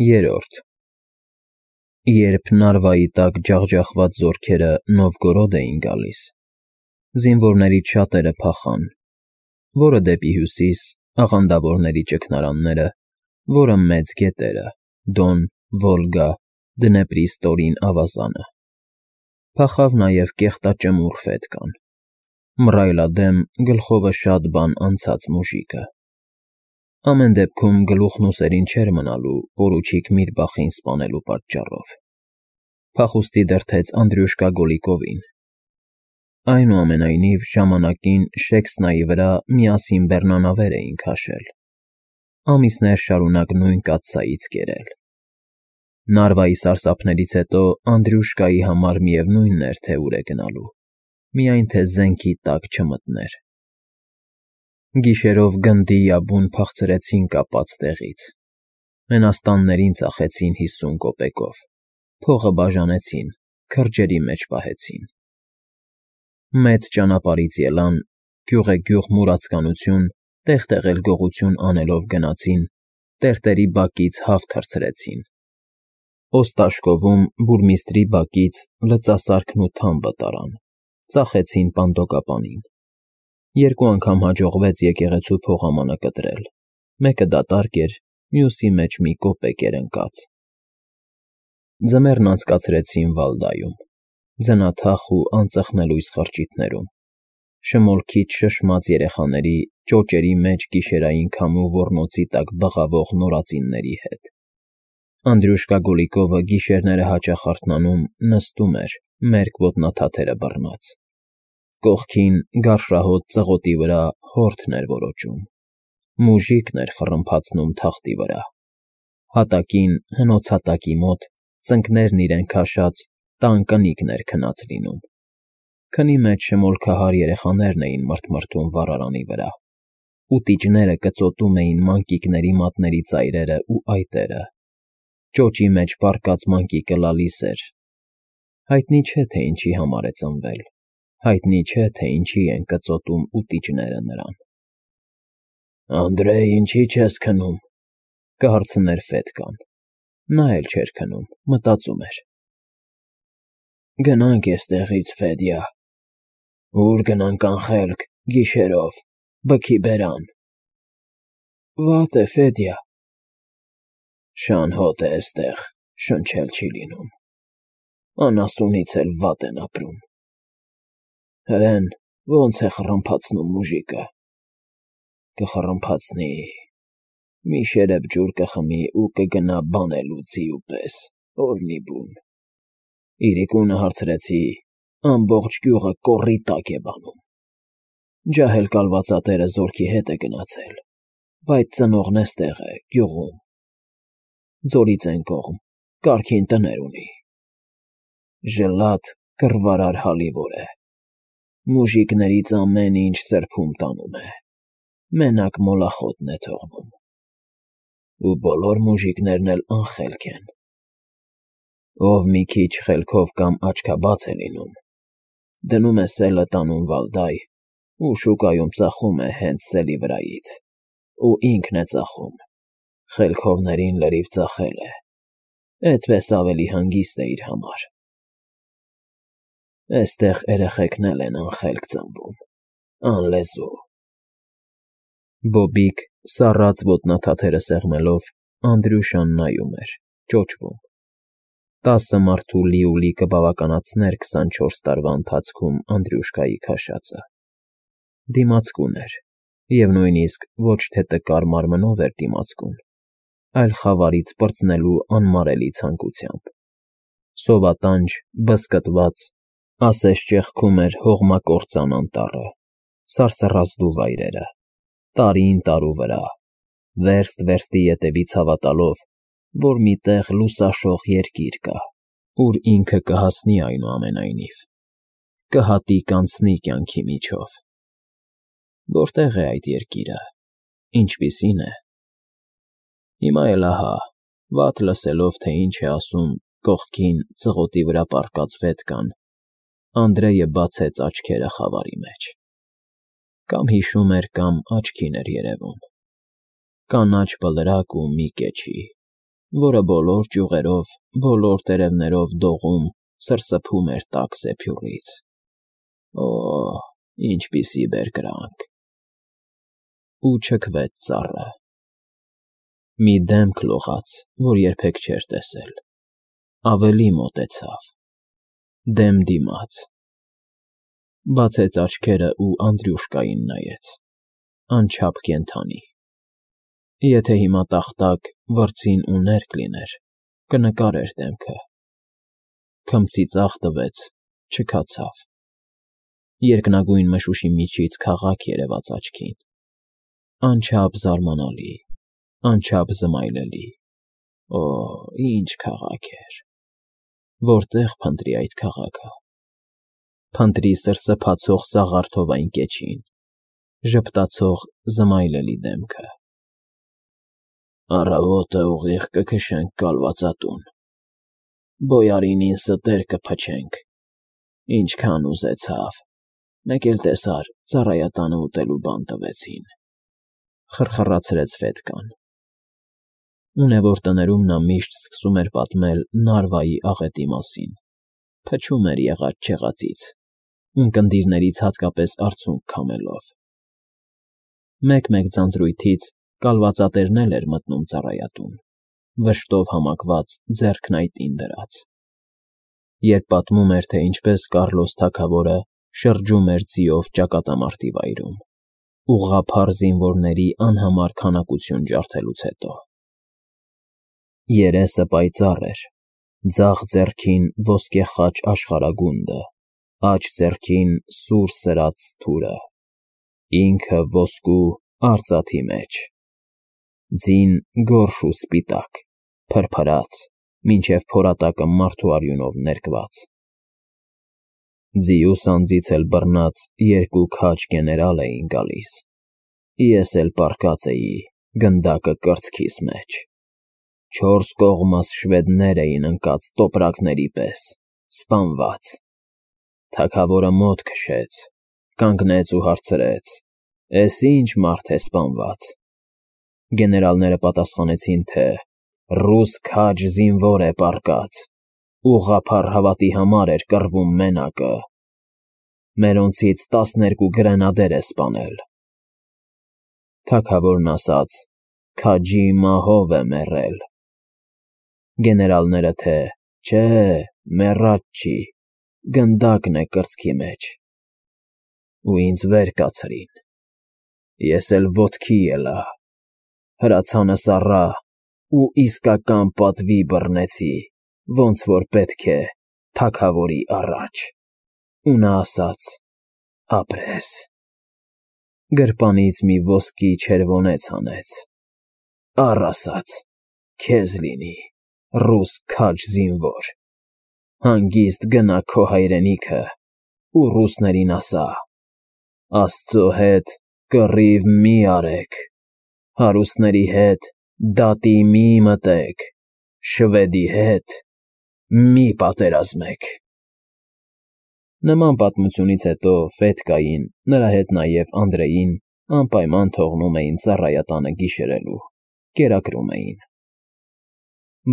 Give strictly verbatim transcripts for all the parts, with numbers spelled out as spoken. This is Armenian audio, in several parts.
Երրորդ Երբ Նարվայի տակ ջախջախված զորքերը Նովգորոդ էին գալիս, զինվորներից շատերը փախան, որը դեպի հյուսիս, աղանդավորների ճգնարանները, որը մեծ գետերը՝ Դոն, Վոլգա, Դնեպրի ստորին ավազանը, փախավ նաև կեղտաճմուռ Ֆեդկան, մռայլադեմ, գլխովը շատ բան անցած մուժիկը։ Ամեն դեպքում գլուխն ուսերին չէր մնալու պորուչիկ Միրբախին սպանելու պատճառով։ Փախուստի դրդեց Անդրյուշկա Գոլիկովին։ Այնուամենայնիվ, ժամանակին Շեքսնայի վրա միասին բեռնանավեր էին քաշել, ամիսներ շարունակ նույն կաթսայից կերել։ Նարվայի սարսափներից հետո Անդրյուշկայի համար միևնույն էր, թե ուր է գնալու, միայն թե զենքի տակ չմտներ։ Գիշերով գնդի յաբուն փախցրեցին կապած տեղից, մենաստաններին ծախեցին հիսուն կոպեկով, փողը բաժանեցին, քրջերի մեջ պահեցին։ Մեծ ճանապարհից ելան, գյուղեգյուղ մուրացկանություն, տեղ֊տեղ էլ գողություն անելով գնացին, տերտերի բակից հավ թռցրեցին։ Օստաշկովում բուրմիստրի բակից լծասարքն ու թամբը տարան, ծախեցին պանդոկապանին։ Երկու անգամ հաջողվեց եկեղեցու փողամանը կտրել, մեկը դատարկ էր, մյուսի մեջ մի կոպեկ էր ընկած։ Ձմեռն անցկացրեցին Վալդայում, ձնաթախ ու անծխնելույս խրճիթներում, շմոլքից շշմած երեխաների, ճոճերի մեջ գիշերային քամու ոռնոցի տակ բղավող նորածինների հետ։ Անդրյուշկա Գոլիկովը գիշերները հաճախ արթնանում, նստում էր, մերկ ոտնաթաթերը բռնած։ Կողքին, գարշահոտ ծղոտի վրա հորթն էր որոճում, մուժիկն էր խռմփացնում թախտի վրա։ Հատակին, հնոցհատակի մոտ, ծնկներն իրեն քաշած, տան կնիկն էր քնած լինում։ Քնի մեջ շմոլքահար երեխաներն էին մռթմռթում վառարանի վրա, ուտիճները կծոտում էին մանկիկների մատների ծայրերը ու այտերը։ Ճոճի մեջ պառկած մանկիկը լալիս էր։ Հայտնի չէ, թե ինչի համար է ծնվել, հայտնի չէ, թե ինչի են կծոտում ուտիճները նրան։ Անդրեյ, ինչի՞ չես քնում, կհարցներ Ֆեդկան։ Նա էլ չէր քնում, մտածում էր։ Գնանք էստեղից, Ֆեդյա։ Ուր գնանք անխելք, գիշերով, բքի բերան։ Վատ է, Ֆեդյա։ Շան հոտ է էստեղ, շնչել չի լինում։ Անասունից էլ վատ են ապրում։ Հրեն, ոնց է խռմփացնում մուժիկը։ Կխռմփացնի, մի շերեփ ջուր կխմի ու կգնա բանելու ձիու պես, օրհնի բուն։ Իրիկունը հարցրեցի, ամբողջ գյուղը կոռի տակ է բանում։ Ջահել կալվածատերը զորքի հետ է գնացել, բայց ծնողն էստեղ է, գյուղում։ Ձորից են կողմ, կարգին տներ ունի։ Ժլատ, կռվարար հալիվոր է։ Մուժիկներից ամեն ինչ սրբում տանում է, մենակ մոլախոտն է թողնում։ Ու բոլոր մուժիկներն էլ անխելք են։ Ով մի քիչ խելքով կամ աչքաբաց է լինում, դնում է սելը տանում Վալդայ ու շուկայում ծախում է հենց սելի վրայից, ու ինքն է ծախում, խելքովներին լրիվ ծախել է, էդպես ավելի հանգիստ է իր համար։ Էստեղ երեխեքն էլ են անխելք ծնվում, անլեզու։ Բոբիկ, սառած ոտնաթաթերը սեղմելով, Անդրյուշան նայում էր, ճոճվում։ Տասը մարդու լիուլի կբավականացներ քսանչորս տարվա ընթացքում Անդրյուշկայի քաշածը։ Դիմացկուն էր, և նույնիսկ ոչ թե տկար մարմնով էր դիմացկուն, այլ խավարից պրծնելու անմարելի ցանկությամբ։ Սովատանջ, բզկտված, ասես ճեղքում էր հողմակործան անտառը, սարսռազդու վայրերը, տարին տարու վրա, վերստ վերստի ետևից հավատալով, որ մի տեղ լուսաշող երկիր կա, ուր ինքը կհասնի այնուամենայնիվ, կհատիկ անցնի կյանքի միջով։ Որտե՞ղ է այդ երկիրը, ինչպիսի՞ն է։ Հիմա էլ ահա, վատ լսելով, թե ինչ է ասում կողքին ծղոտի վրա պառկած Ֆեդկան, Անդրեյը բացեց աչքերը խավարի մեջ։ Կամ հիշում էր, կամ աչքին էր երևում։ Կանաչ բլրակ ու մի կեչի, որը բոլոր ճյուղերով, բոլոր տերևներով դողում, սրսփում էր տաք զեփյուռից։ Օ՜, ինչպիսի բերկրանք… Ու չքվեց ծառը։ Մի դեմք լողաց, որ երբեք չէր տեսել, ավելի մոտեցավ, դեմ դիմաց, բացեց աչքերը ու Անդրյուշկային նայեց, անչափ կենդանի։ Եթե հիմա տախտակ, վրձին ու ներք լիներ, կնկարեր դեմքը։ Քմծի ծախ տվեց, չքացավ։ Երկնագույն մշուշի միջից քաղաք երևաց աչքին, անչափ զարմանալի, անչափ զմայլելի։ Օ՜, ինչ քաղաք էր… Որտե՞ղ փնտրի այդ քաղաքը… Փնտրի սրսփացող սաղարթով այն կեչին, ժպտացող զմայլելի դեմքը… Առավոտը ուղիղ կքշենք կալվածատուն, բոյարինին ստեր կփչենք, ինչքան ուզեցավ, մեկ էլ տեսար ծառայատանը ուտելու բան տվեցին, խրխռացրեց Ֆետկան։ Ունևոր տներում նա միշտ սկսում էր պատմել Նարվայի աղետի մասին, փչում էր եղած֊չեղածից, ունկնդիրներից հատկապես արցունք քամելով։ Մեկ֊մեկ ձանձրույթից կալվածատերն էլ էր մտնում ծառայատուն, վշտով համակված ձեռքն այտին դրած։ Երբ պատմում էր, թե ինչպես Կառլոս թագավորը շրջում էր ձիով ճակատամարտի վայրում, ուղղափառ զինվորների անհամար քանակություն ջարդելուց հետո։ Երեսը պայծառ էր, ձախ ձեռքին ոսկե խաչ աշխարհագունդը, աջ ձեռքին սուր սրած թուրը, ինքը ոսկու արծաթի մեջ, ձին գորշ ու սպիտակ, փրփրած, մինչև փորատակը մարդու արյունով ներկված։ Ձիուս անձից էլ բռնած երկու քաջ գեներալ էին գալիս, ես էլ պառկած էի գնդակը կրծքիս մեջ, չորս կողմս շվեդներ էին ընկած տոպրակների պես, սպանված։ Թագավորը մոտ քշեց, կանգնեց ու հարցրեց. «Էս ի՞նչ մարդ է սպանված»։ Գեներալները պատասխանեցին, թե «Ռուս քաջ զինվոր է պառկած, ուղղափառ հավատի համար էր կռվում մենակը, մերոնցից տասներկու գրենադեր է սպանել»։ Թագավորն ասաց. «Քաջի մահով է մեռել»։ Գեներալները, թե «Չէ, մեռած չի, գնդակն է կրծքի մեջ»։ Ու ինձ վեր կացրին, ես էլ ոտքի ելա, հրացանս առա ու իսկական պատվի բռնեցի, ոնց որ պետք է թագավորի առաջ, ու նա ասաց. ապրես։ Գրպանից մի ոսկի չերվոնեց հանեց, առ ասաց. քեզ լինի, ռուս քաջ զինվոր, հանգիստ գնա քո հայրենիքը ու ռուսներին ասա. Աստծո հետ կռիվ մի արեք, հարուստների հետ դատի մի մտեք, շվեդի հետ մի պատերազմեք։ Նման պատմությունից հետո Ֆետկային, նրա հետ նաև Անդրեին անպայման թողնում էին ծառայատանը գիշերելու, կերակրում էին։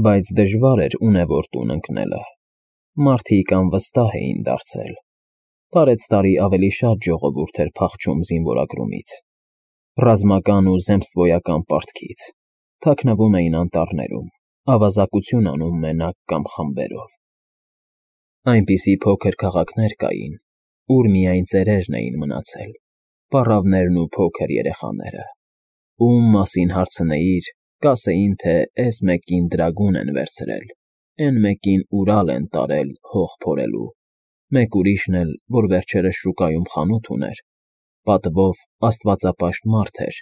Բայց դժվար էր ունևոր տուն ընկնելը, մարդիկ անվստահ էին դարձել, տարեցտարի ավելի շատ ժողովուրդ էր փախչում զինվորագրումից, ռազմական ու զեմստվոյական պարտքից, թաքնվում էին անտառներում, ավազակություն անում մենակ կամ խմբերով։ Այնպիսի փոքր քաղաքներ կային, ուր միայն ծերերն էին մնացել, պառավներն ու փոքր երեխաները, ում մասին հարցնեիր, կասեին, թե էս մեկին դրագուն են վերցրել, էն մեկին Ուրալ են տարել հող փորելու, մեկ ուրիշն էլ, որ վերջերս շուկայում խանութ ուներ, պատվով աստվածապաշտ մարդ էր,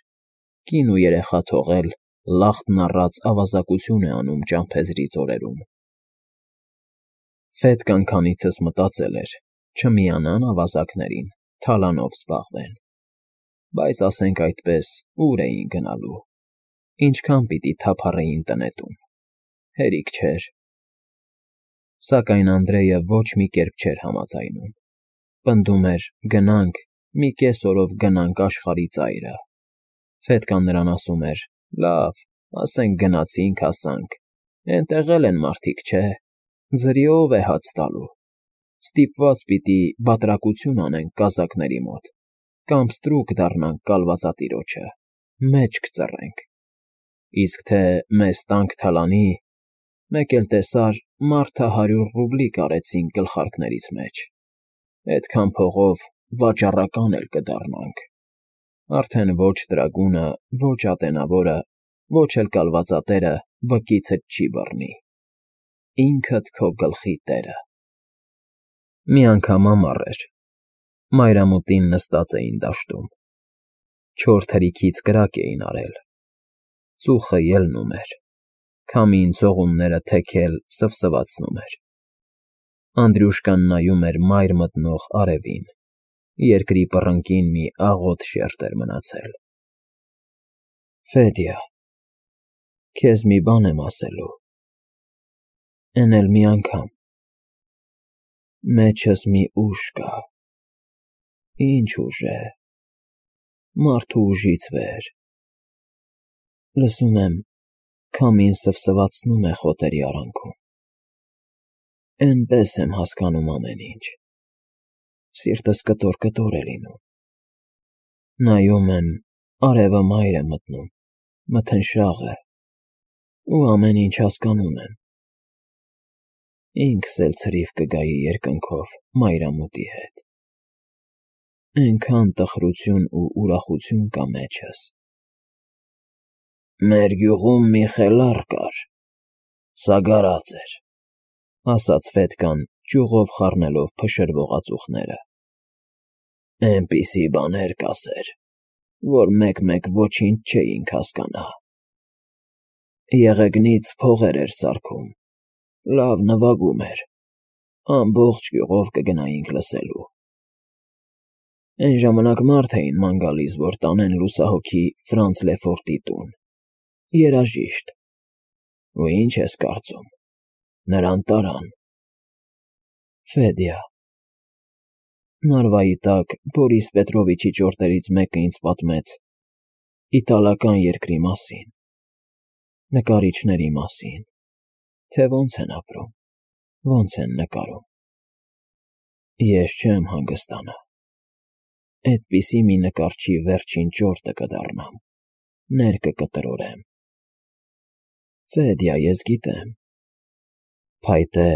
կին ու երեխա թողել, լախտն առած ավազակություն է անում ճամփեզրի ձորերում։ Ֆետկան քանիցս մտածել էր, չմիանան ավազակներին, թալանով զբաղվեն, բայց ասենք այդպես, ուր էին գնալու, ինչքան պիտի թափառեին տնետում, հերիք չէր։ Սակայն Անդրեյը ոչ մի կերպ չէր համաձայնում, պնդում էր գնանք, մի կես օրով գնանք աշխարհի ծայրը։ Ֆետկան նրան ասում էր. լավ, ասենք գնացինք, հասանք, Էնտեղ էլ են մարդիկ, չէ՞, ձրիով է հաց տալու, ստիպված պիտի բատրակություն անենք կազակների մոտ կամ ստրուկ դառնանք կալվածատիրոջը, մեջք ծռենք, իսկ թե մեզ տանք թալանի, մեկ էլ տեսար, մարդը հարյուր ռուբլի կարեցինք գլխարկներից մեջ, էդքան փողով վաճառական էլ կդառնանք, արդեն ոչ տրագունը, ոչ ատենավորը, ոչ էլ կալվածատերը բկիցդ չի բռնի, ինքդ քո գլխի տերը։ Մի անգամ ամառ էր, մայրամուտին նստած էին դաշտում, չոր թրիքից կրակ էին արել, ծուխը ելնում էր, քամին ցողունները թեքել սվսվացնում էր, Անդրյուշկան նայում էր մայր մտնող արևին, երկրի պռնկին մի աղոտ շերտ էր մնացել։ Ֆեդյա, քեզ մի բան եմ ասելու, էն էլ մի անգամ, մեջս մի ուժ կա, ինչ ուժ է, մարդու ուժից վեր, լսում եմ, քամին սվսվացնում է խոտերի արանքում, էնպես եմ հասկանում ամեն ինչ, սիրտս կտոր֊կտոր է լինում, նայում եմ, արևը մայր է մտնում, մթնշաղ է, ու ամեն ինչ հասկանում եմ, ինքս էլ ցրիվ կգայի երկնքով մայրամուտի հետ, էնքան տխրություն ու ուրախություն կա մեջս։ Մեր գյուղում մի խելառ կար, սագարած էր, ասաց Ֆեդկան, ճյուղով խառնելով փշրվող ածուխները, էնպիսի բաներ կասեր, որ մեկ֊մեկ ոչինչ չէինք հասկանա, եղեգնից փողեր էր սարքում, լավ նվագում էր, ամբողջ գյուղով կգնայինք լսելու, էն ժամանակ մարդ էին ման գալիս, որ տանեն լուսահոգի Ֆրանց Լեֆորտի տուն, երաժիշտ, ու ինչ ես կարծում, նրան տարան։ Ֆեդյա, Նարվայի տակ Բորիս Պետրովիչի ճորտերից մեկը ինձ պատմեց իտալական երկրի մասին, նկարիչների մասին, թե ոնց են ապրում, ոնց են նկարում։ Ես չեմ հանգստանա, էդպիսի մի նկարչի վերջին ճորտը կդառնամ, ներկը կտրորեմ։ Ֆեդյա, ես գիտեմ, փայտե,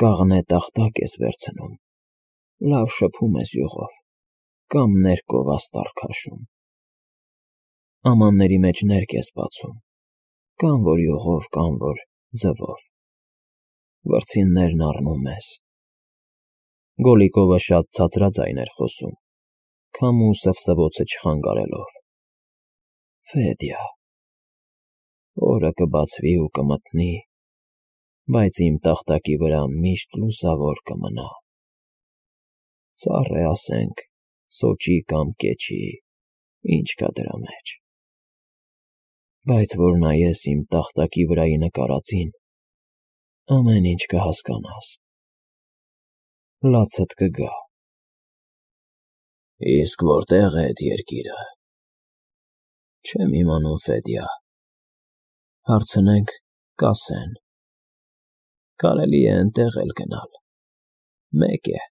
կաղնե տախտակ ես վերցնում, լավ շփում ես յուղով, կամ ներկով աստառ քաշում, ամանների մեջ ներկ ես բացում, կամ որ յուղով, կամ որ ձվով, վրձիններն առնում ես։ Գոլիկովը շատ ցածրաձայն էր խոսում, քամու սվսվոցը չխանգարելով։ Ֆեդյա, օրը կբացվի ու կմտնի, բայց իմ տախտակի վրա միշտ լուսավոր կմնա, ծառ է, ասենք, սոճի կամ կեչի, ինչ կա դրա մեջ, բայց որ նայես իմ տախտակի վրայի նկարածին, ամեն ինչ կհասկանաս, լացդ կգա։ Իսկ որտե՞ղ է էդ երկիրը։ Չեմ իմանում, Ֆեդյա, հարցնենք, կասեն, կարելի է էնտեղ էլ գնալ, մեկ է,